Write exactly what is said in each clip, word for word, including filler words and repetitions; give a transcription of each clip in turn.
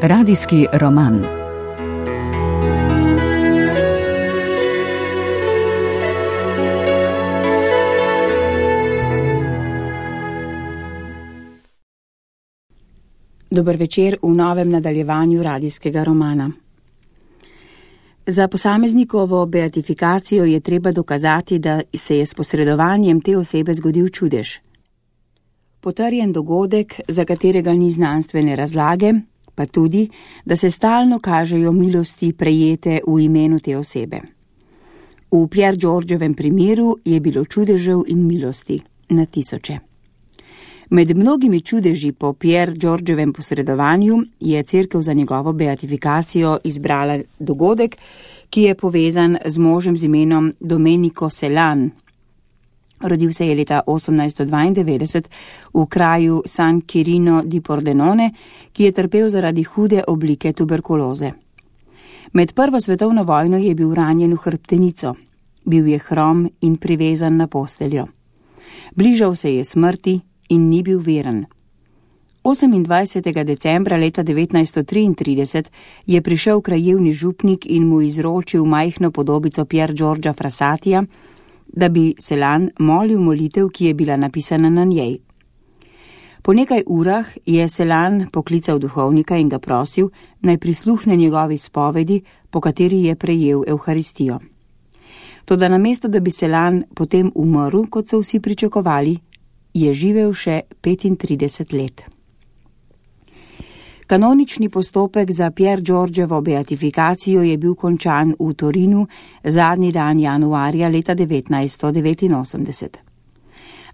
Radijski roman. Dober večer v novem nadaljevanju radijskega romana. Za posameznikovo beatifikacijo je treba dokazati, da se je s posredovanjem te osebe zgodil čudež. Potrjen dogodek, za katerega ni znanstvene razlage, pa tudi, da se stalno kažejo milosti prejete v imenu te osebe. V Pier Giorgiovem primeru je bilo čudežev in milosti na tisoče. Med mnogimi čudeži po Pier Giorgiovem posredovanju je cerkev za njegovo beatifikacijo izbrala dogodek, ki je povezan z možem z imenom Domenico Celan. Rodil se je leta osemnajststo dvaindevetdeset v kraju San Quirino di Pordenone, ki je trpel zaradi hude oblike tuberkuloze. Med prvo svetovno vojno je bil ranjen v hrbtenico, bil je hrom in privezan na posteljo. Bližal se je smrti in ni bil veren. osemindvajsetega decembra leta devetnajststo triintrideset je prišel krajevni župnik in mu izročil majhno podobico Pier Giorgia Frassatija, da bi Celan molil molitev, ki je bila napisana na njej. Po nekaj urah je Celan poklical duhovnika in ga prosil, naj prisluhne njegovi spovedi, po kateri je prejel Evharistijo. Toda namesto, da bi Celan potem umrl, kot so vsi pričakovali, je živel še petintrideset let. Kanonični postopek za Pier Giorgiovo beatifikacijo je bil končan v Torinu zadnji dan januarja leta devetnajststo devetinosemdeset.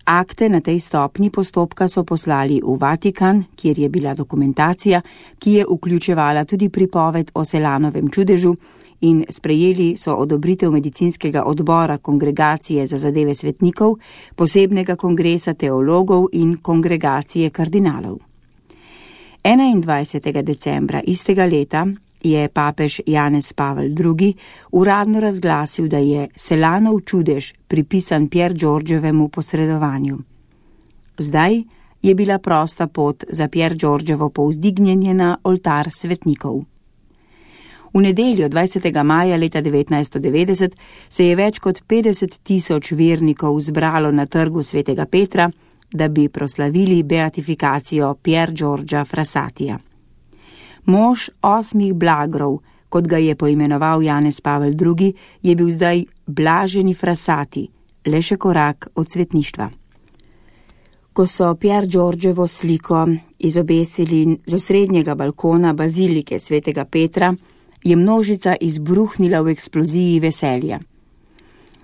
Akte na tej stopni postopka so poslali v Vatikan, kjer je bila dokumentacija, ki je vključevala tudi pripoved o Celanovem čudežu, in sprejeli so odobritev medicinskega odbora Kongregacije za zadeve svetnikov, posebnega kongresa teologov in kongregacije kardinalov. enaindvajsetega decembra istega leta je papež Janez Pavel drugi uradno razglasil, da je Celanov čudež pripisan Pier Giorgiovemu posredovanju. Zdaj je bila prosta pot za Pier Giorgiovo povzdignjenje na oltar svetnikov. V nedeljo dvajsetega maja leta devetnajststo devetdeset se je več kot petdeset tisoč vernikov zbralo na trgu svetega Petra, da bi proslavili beatifikacijo Pier Giorgia Frassatija. Mož osmih blagrov, kot ga je poimenoval Janez Pavel drugi, je bil zdaj blaženi Frassati, le še korak od svetništva. Ko so Pier Giorgiovo sliko izobesili z osrednjega balkona bazilike svetega Petra, je množica izbruhnila v eksploziji veselja.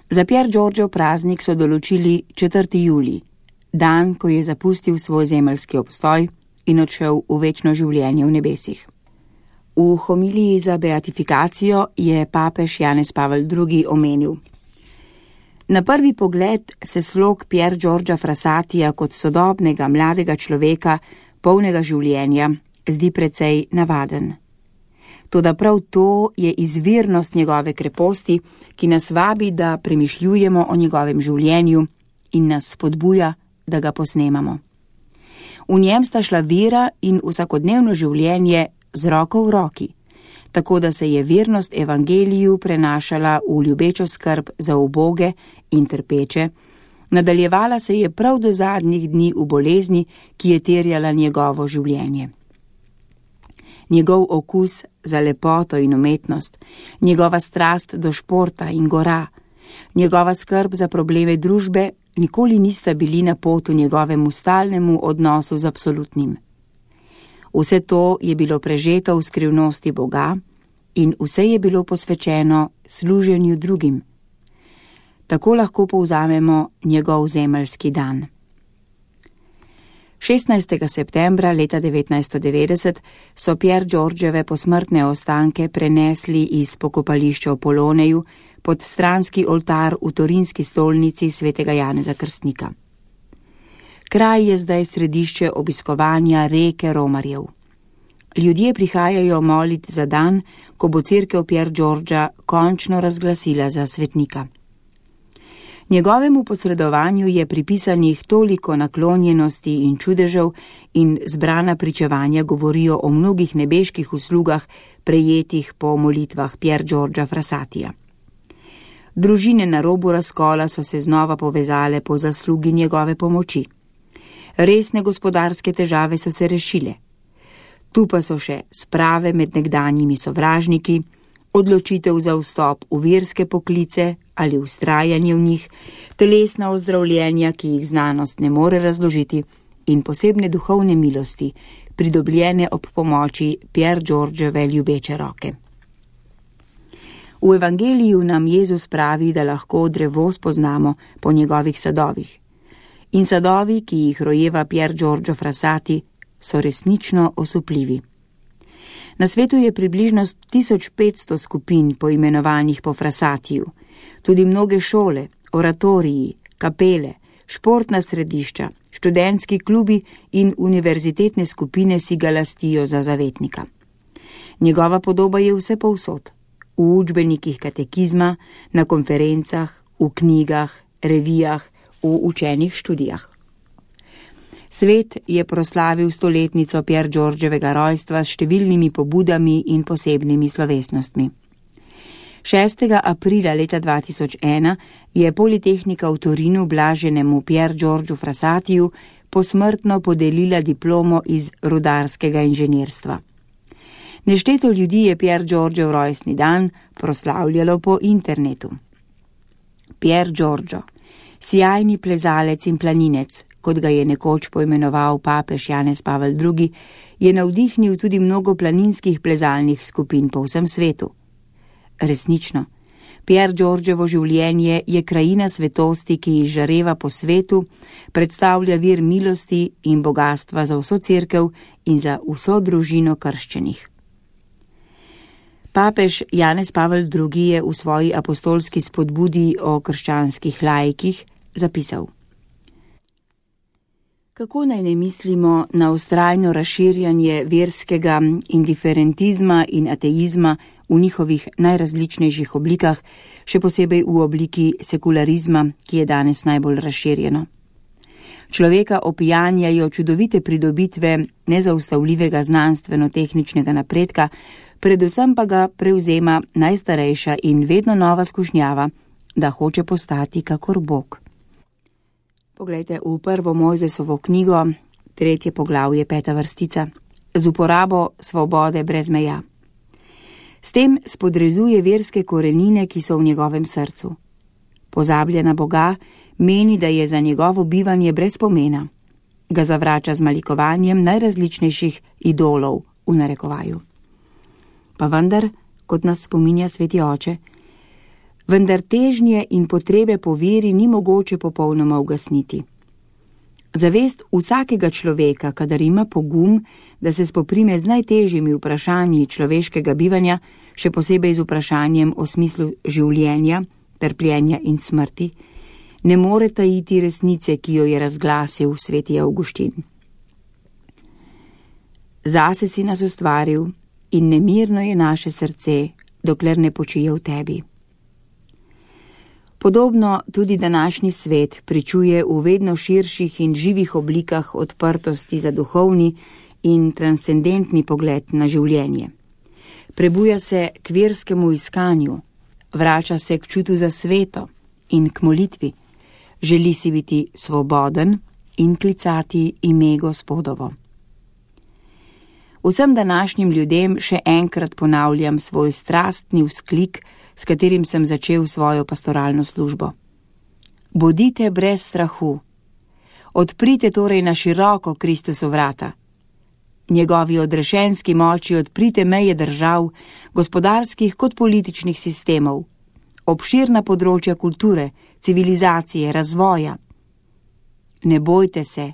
Za Pier Giorgio praznik so določili četrtega julija, dan, ko je zapustil svoj zemeljski obstoj in odšel v večno življenje v nebesih. V homiliji za beatifikacijo je papež Janez Pavel drugi omenil: Na prvi pogled se slog Pier Giorgia Frassatija kot sodobnega mladega človeka, polnega življenja, zdi precej navaden. Toda prav to je izvirnost njegove kreposti, ki nas vabi, da premišljujemo o njegovem življenju in nas spodbuja, da ga posnemamo. V njem sta šla vera in vsakodnevno življenje z roko v roki, tako da se je vernost evangeliju prenašala v ljubečo skrb za uboge in trpeče, nadaljevala se je prav do zadnjih dni v bolezni, ki je terjala njegovo življenje. Njegov okus za lepoto in umetnost, njegova strast do športa in gora, njegova skrb za probleme družbe nikoli nista bili na potu njegovemu stalnemu odnosu z absolutnim. Vse to je bilo prežeto v skrivnosti Boga in vse je bilo posvečeno služenju drugim. Tako lahko povzamemo njegov zemeljski dan. šestnajstega septembra leta devetnajststo devetdeset so Pier Giorgiove posmrtne ostanke prenesli iz pokopališča v Poloneju pod stranski oltar v torinski stolnici svetega Janeza Krstnika. Kraj je zdaj središče obiskovanja reke romarjev. Ljudje prihajajo molit za dan, ko bo cerkev Pier Giorgia končno razglasila za svetnika. Njegovemu posredovanju je pripisanih toliko naklonjenosti in čudežev in zbrana pričevanja govorijo o mnogih nebeških uslugah, prejetih po molitvah Pier Giorgia Frassatija. Družine na robu razkola so se znova povezale po zaslugi njegove pomoči. Resne gospodarske težave so se rešile. Tu pa so še sprave med nekdanjimi sovražniki, odločitev za vstop v verske poklice ali ustrajanje v njih, telesna ozdravljenja, ki jih znanost ne more razložiti, in posebne duhovne milosti, pridobljene ob pomoči Pier Giorgiove ljubeče roke. V evangeliju nam Jezus pravi, da lahko drevo spoznamo po njegovih sadovih. In sadovi, ki jih rojeva Pier Giorgio Frassati, so resnično osupljivi. Na svetu je približno tisoč petsto skupin poimenovanih po Frassatiju, tudi mnoge šole, oratoriji, kapele, športna središča, študentski klubi in univerzitetne skupine si ga lastijo za zavetnika. Njegova podoba je vse povsod, v učbenikih katekizma, na konferencah, v knjigah, revijah, v učenih študijah. Svet je proslavil stoletnico Pier Giorgiovega rojstva s številnimi pobudami in posebnimi slovesnostmi. šestega aprila leta dva tisoč ena je Politehnika v Torinu blaženemu Pier Giorgiu Frassatiju posmrtno podelila diplomo iz rudarskega inženirstva. Nešteto ljudi je Pier Giorgiev rojstni dan proslavljalo po internetu. Pier Giorgio, sijajni plezalec in planinec, kot ga je nekoč poimenoval papež Janez Pavel drugi, je navdihnil tudi mnogo planinskih plezalnih skupin po vsem svetu. Resnično, Pier Giorgiovo življenje je krajina svetosti, ki izžareva po svetu, predstavlja vir milosti in bogatstva za vso cerkev in za vso družino krščenih. Papež Janez Pavel drugi je v svoji apostolski spodbudi o krščanskih laikih zapisal: Kako naj ne mislimo na vztrajno razširjanje verskega indiferentizma in ateizma v njihovih najrazličnejših oblikah, še posebej v obliki sekularizma, ki je danes najbolj razširjeno. Človeka opijanjajo čudovite pridobitve nezaustavljivega znanstveno-tehničnega napredka, predvsem pa ga prevzema najstarejša in vedno nova skušnjava, da hoče postati kakor Bog. Poglejte v prvo Mojzesovo knjigo, tretje poglavje, peta vrstica, z uporabo svobode brez meja. S tem spodrezuje verske korenine, ki so v njegovem srcu. Pozablja na Boga, meni, da je za njegovo bivanje brez pomena. Ga zavrača z malikovanjem najrazličnejših idolov v narekovaju. Pa vendar, kot nas spominja sveti oče, vendar težnje in potrebe po veri ni mogoče popolnoma ugasniti. Zavest vsakega človeka, kadar ima pogum, da se spoprime z najtežjimi vprašanji človeškega bivanja, še posebej z vprašanjem o smislu življenja, trpljenja in smrti, ne more tajiti resnice, ki jo je razglasil sveti Avguštin. Zase si nas ustvaril in nemirno je naše srce, dokler ne počije v tebi. Podobno tudi današnji svet pričuje v vedno širših in živih oblikah odprtosti za duhovni in transcendentni pogled na življenje. Prebuja se k verskemu iskanju, vrača se k čutu za sveto in k molitvi, želi si biti svoboden in klicati ime Gospodovo. Vsem današnjim ljudem še enkrat ponavljam svoj strastni vzklik, s katerim sem začel svojo pastoralno službo. Bodite brez strahu. Odprite torej na široko Kristusu vrata. Njegovi odrešenski moči odprite meje držav, gospodarskih kot političnih sistemov, obširna področja kulture, civilizacije, razvoja. Ne bojte se.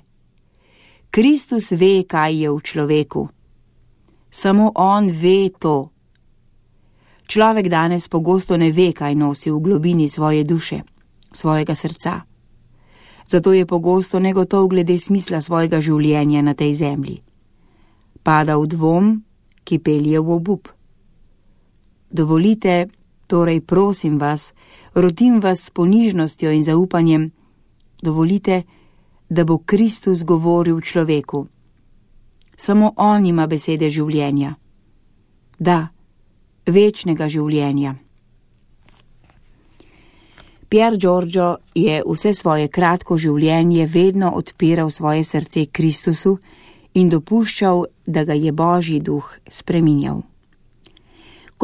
Kristus ve, kaj je v človeku. Samo on ve to. Človek danes pogosto ne ve, kaj nosi v globini svoje duše, svojega srca. Zato je pogosto negotov glede smisla svojega življenja na tej zemlji. Pada v dvom, ki pelje v obup. Dovolite, Torej, prosim vas, rotim vas s ponižnostjo in zaupanjem, dovolite, da bo Kristus govoril človeku. Samo on ima besede življenja. Da, večnega življenja. Pier Giorgio je vse svoje kratko življenje vedno odpiral svoje srce Kristusu in dopuščal, da ga je Božji duh spreminjal.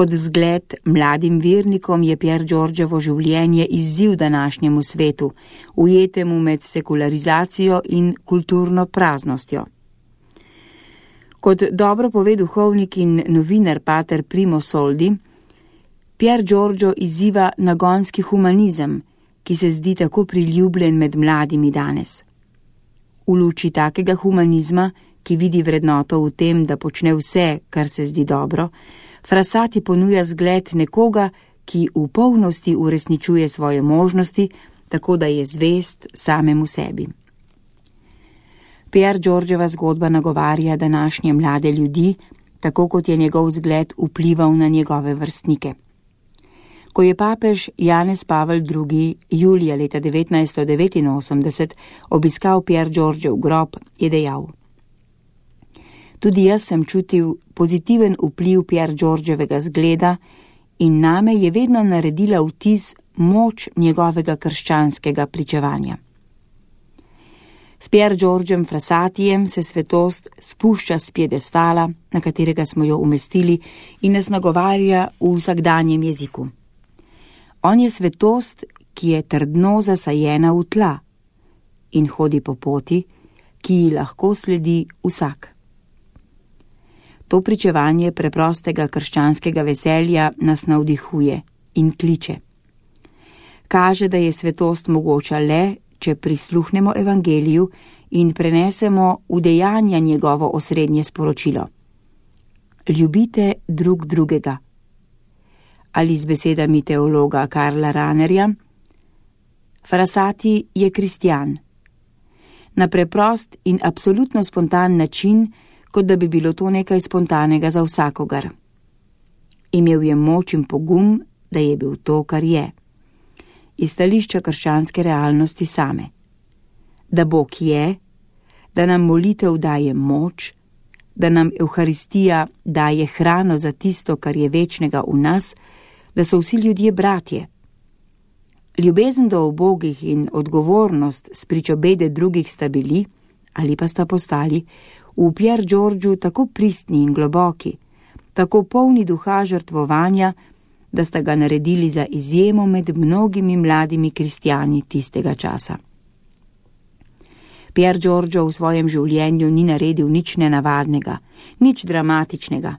Kot zgled mladim vernikom je Pier Giorgiovo življenje izziv današnjemu svetu, ujetemu med sekularizacijo in kulturno praznostjo. Kot dobro pove duhovnik in novinar pater Primo Soldi, Pier Giorgio izziva nagonski humanizem, ki se zdi tako priljubljen med mladimi danes. V luči takega humanizma, ki vidi vrednoto v tem, da počne vse, kar se zdi dobro, Frassati ponuja zgled nekoga, ki v polnosti uresničuje svoje možnosti, tako da je zvest samemu sebi. Pier Giorgiova zgodba nagovarja današnje mlade ljudi, tako kot je njegov zgled vplival na njegove vrstnike. Ko je papež Janez Pavel drugi. julija leta devetnajststo devetinosemdeset obiskal Pier Giorgiev grob, je dejal: Tudi jaz sem čutil pozitiven vpliv Pier Giorgiovega zgleda in name je vedno naredila vtis moč njegovega krščanskega pričevanja. S Pier Giorgiem Frassatijem se svetost spušča s piedestala, na katerega smo jo umestili, in nas nagovarja v vsakdanjem jeziku. On je svetost, ki je trdno zasajena v tla in hodi po poti, ki ji lahko sledi vsak. To pričevanje preprostega krščanskega veselja nas navdihuje in kliče. Kaže, da je svetost mogoča le, če prisluhnemo evangeliju in prenesemo v dejanja njegovo osrednje sporočilo. Ljubite drug drugega. Ali z besedami teologa Karla Ranerja: Frassati je kristjan. Na preprost in absolutno spontan način, kot da bi bilo to nekaj spontanega za vsakogar. Imel je moč in pogum, da je bil to, kar je. Iz stališča krščanske realnosti same. Da Bog je, da nam molitev daje moč, da nam Evharistija daje hrano za tisto, kar je večnega v nas, da so vsi ljudje bratje. Ljubezen do ubogih in odgovornost spričo bede drugih sta bili, ali pa sta postali, v Pier Giorgiu tako pristni in globoki, tako polni duha žrtvovanja, da sta ga naredili za izjemo med mnogimi mladimi kristjani tistega časa. Pier Giorgio v svojem življenju ni naredil nič nenavadnega, nič dramatičnega,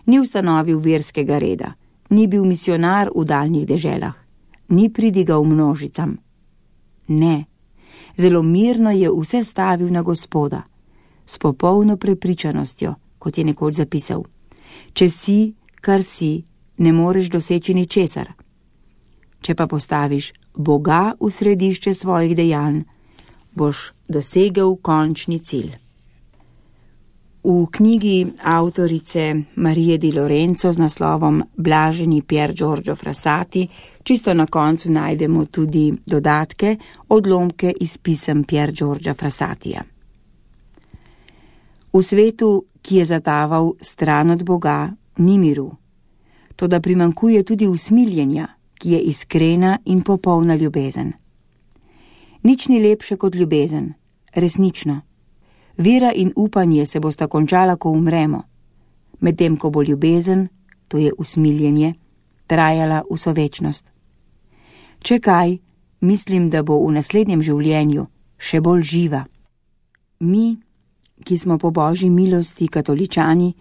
ni ustanovil verskega reda, ni bil misionar v daljnih deželah, ni pridigal množicam. Ne, zelo mirno je vse stavil na Gospoda, s popolno prepričanostjo, kot je nekoč zapisal: Če si, kar si, ne moreš doseči ničesar. Če pa postaviš Boga v središče svojih dejanj, boš dosegel končni cilj. V knjigi avtorice Marije di Lorenzo z naslovom Blaženi Pier Giorgio Frassati čisto na koncu najdemo tudi dodatke, odlomke iz pisem Pier Giorgia Frassatija. V svetu, ki je zataval stran od Boga, ni miru. Toda primankuje tudi usmiljenja, ki je iskrena in popolna ljubezen. Nič ni lepše kot ljubezen, resnično. Vera in upanje se bosta končala, ko umremo, medtem ko bo ljubezen, to je usmiljenje, trajala vso večnost. Če kaj, mislim, da bo v naslednjem življenju še bolj živa. Mi, ki smo po Božji milosti katoličani,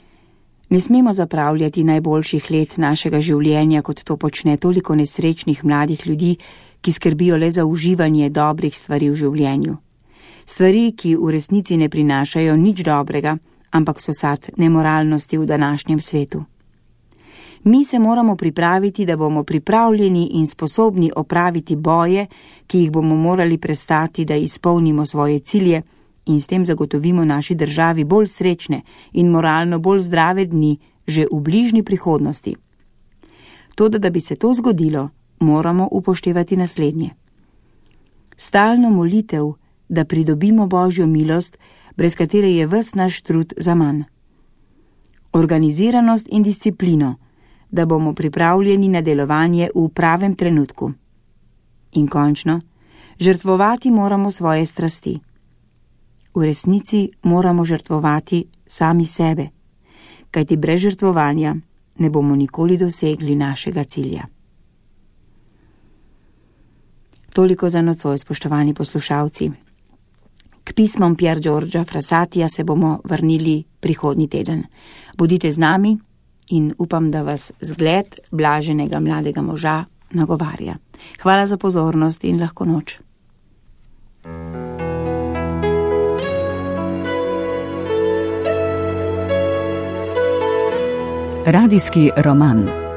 ne smemo zapravljati najboljših let našega življenja, kot to počne toliko nesrečnih mladih ljudi, ki skrbijo le za uživanje dobrih stvari v življenju. Stvari, ki v resnici ne prinašajo nič dobrega, ampak so sad nemoralnosti v današnjem svetu. Mi se moramo pripraviti, da bomo pripravljeni in sposobni opraviti boje, ki jih bomo morali prestati, da izpolnimo svoje cilje in s tem zagotovimo naši državi bolj srečne in moralno bolj zdrave dni že v bližnji prihodnosti. Toda, da bi se to zgodilo, moramo upoštevati naslednje. Stalno molitev, da pridobimo Božjo milost, brez katere je ves naš trud zaman. Organiziranost in disciplino, da bomo pripravljeni na delovanje v pravem trenutku. In končno, žrtvovati moramo svoje strasti. V resnici moramo žrtvovati sami sebe, kajti brez žrtvovanja ne bomo nikoli dosegli našega cilja. Toliko za nocoj, spoštovani poslušalci. K pismom Pier Giorgia Frassatija se bomo vrnili prihodnji teden. Bodite z nami in upam, da vas zgled blaženega mladega moža nagovarja. Hvala za pozornost in lahko noč. Radijski roman.